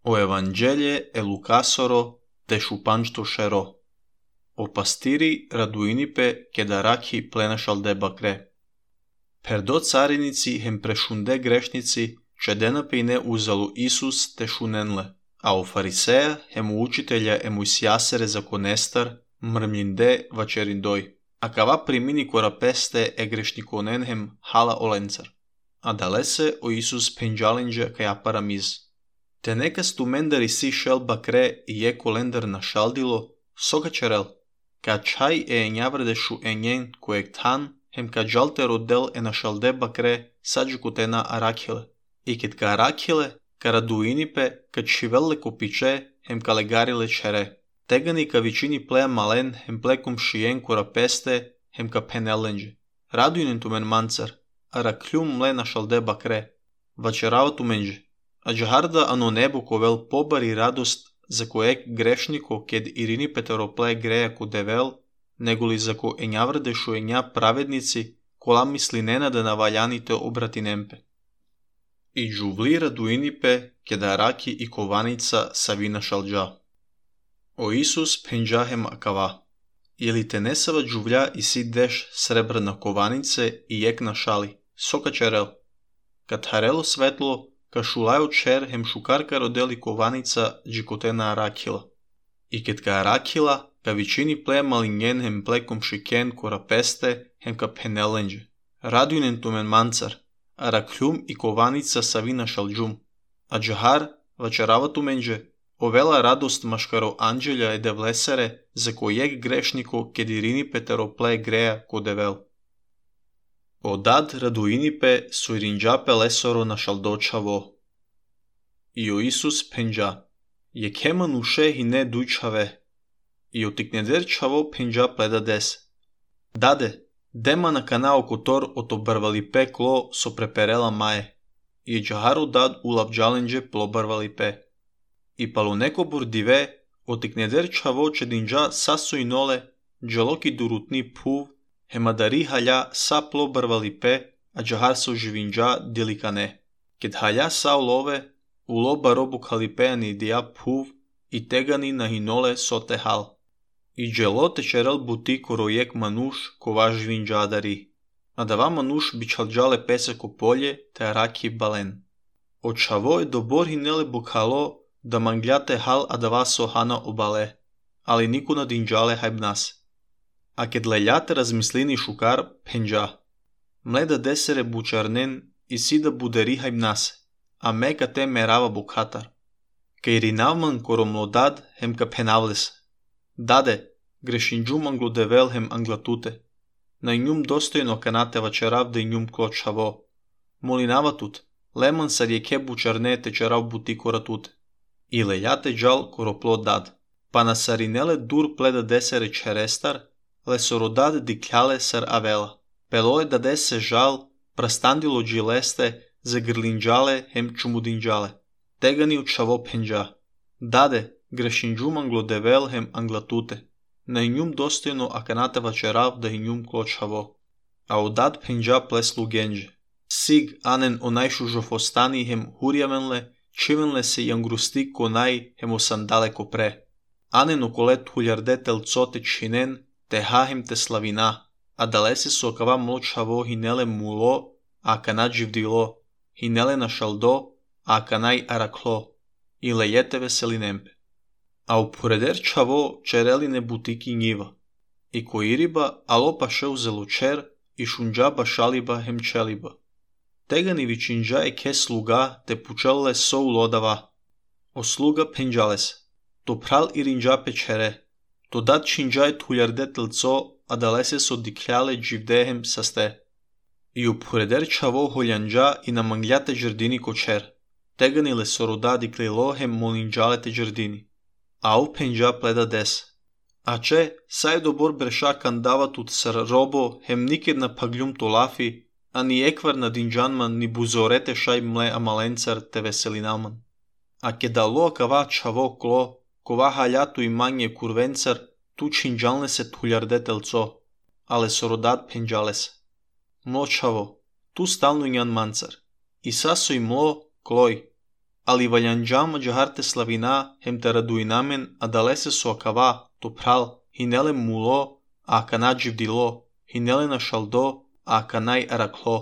O Evanghelie e Lucasoro te shupanchtoshero. O pastiri raduinipe kedaraki plenašal de bakre. Perdo carinici hem prešunde grešnici čedenapine uzalu Isus te šunenle, a o fariseja hem učitelja emuisjasere zakonestar mrmlinde vačerindoj. A kava primini korapeste e grešnikonen hem hala olencar. A dalese o Isus penjalinja kaja paramiz. Te nekas tu mendari si šel bakre i je kolendar na šaldilo, soga čerel, ka čaj e enjavredešu enjen kojeg tan, hem ka jalte rodel e na šalde bakre sađukutena arakile. I ket ka arakile, ka raduinipe, ka čivelle kopiče, hem ka legarile čere. Tegani ka vičini plea malen, hem plekum šijen korapeste, hem ka penellenđe. Raduinen tu men mancar, arakljum mle na šalde bakre, vačerava tu menđe. A džaharda ano nebo kovel pobari radost za kojeg grešniko ked irini peterople greja ko devel, negoli za ko enjavrdešu enja pravednici, kola misli nenada na valjanite obratinempe. I džuvli raduinipe kedaraki i kovanica savina šalđa. O Isus penđahem akava. Jeli te nesava džuvlja i si deš srebrna kovanice i jek na šali, soka čerel. Kad harelo svetlo, ka šulaju čer hem šukarka rodeli kovanica džikotena arakila. I ket ka arakila, ka vičini ple malinjen hem plekom šiken korapeste hem ka penellenđe. Raduinen tu men mancar, arakljum i kovanica savina šalđum. A džahar vačerava tu menđe, ovela radost maškaro anđelja e devlesere za kojeg grešniko ked irini peterople greja ko devel. Odad raduinipe su irinđape lesoro na šaldočavo. I o Isus penđa, je keman uše hine dujčave, i o tikneder čavo penđa pleda des. Dade, dema na kanao kotor oto barvali pe klo so preperela maje, i džaharu dad ulabđalenđe plobarvali pe. I palo neko bordive, o tikneder čavo čedinđa saso i nole, džaloki durutni puv, hemadari halja sa plobarvali pe, a džahar so živinđa delikane. Ked halja sa ulove, uloba robu kalipejani dija puv, i tegani na hinole sote hal. I dželo tečerel buti korojek manuš kova živinđa dari. A dava manuš bičalđale pese ko polje, te araki balen. Od čavo je dobor hinele bukhalo, da mangljate hal a dava so hana obale, ali niku na dinđale hajbnas. A ked leljate razmislini šukar penđa. Mleda desere bučarnen i sida buderi hajbnase, a meka te merava bukhatar. Ka irinavman koromlodad hem ka penavles. Dade, grešinđum anglodevel hem anglatute. Na njum dostojno kanate vačerav da njum kločavo. Molinava tut, leman sa rijeke bučarne tečerav buti koratute. I leljate džal koroplod dad. Pa na sarinele dur pleda desere čerestar, lesorodad dikljale sar avela. Peloje da dese žal, prastandilo džileste, za grlinđale hem čumudinđale. Tegani u čavo penđa. Dade, grešinđum anglodevel hem anglatute. Na njum dostojno akanate vačerav da njum kločavo. A odad penđa pleslu genđe. Sig anen onajšu žofostani hem hurjamenle, čivenle se jangrusti konaj hem osandale kopre. Anen okolet huljarde telcote činen, te hahem te slavina, a dalese su okava mločavo hinele mulo, a kanad živdilo, hinele na šaldo, a kanaj araklo, i lejete veselinempe. A upureder čavo čereline butiki njiva, i koiriba alo paše uzelo čer, i šunđaba šaliba hem čeliba. Tegani vičinđa e ke sluga te pučelle so ulodava. O sluga penđales, to pral irinđape čere, to dat činđaj tuljarde telco, a dalese so dikljale dživdehem saste. I upureder čavo holjanđa i na mangljate džardini kočer. Tegani le soroda diklilo hem molinđalete džardini. A u penđa pleda des. A če, saj dobor breša kandava tut sar robo hem niked na pagljum tolafi, a ni ekvar na dinđanman ni buzorete šaj mle amalencar te veselinalman. A kedalo kava čavo klo, kova haljatu i manje kurvencar, tu činđalne se tuljarde telco, ale sorodat penđales. Mlo čavo, tu stalno njan mancar, i saso i mlo kloj. ali valhanjam jaharte slavina hem te raduinamen adalese so akava topral hinele mulo a akanaj divdilo hinele na shaldo a akanai araklo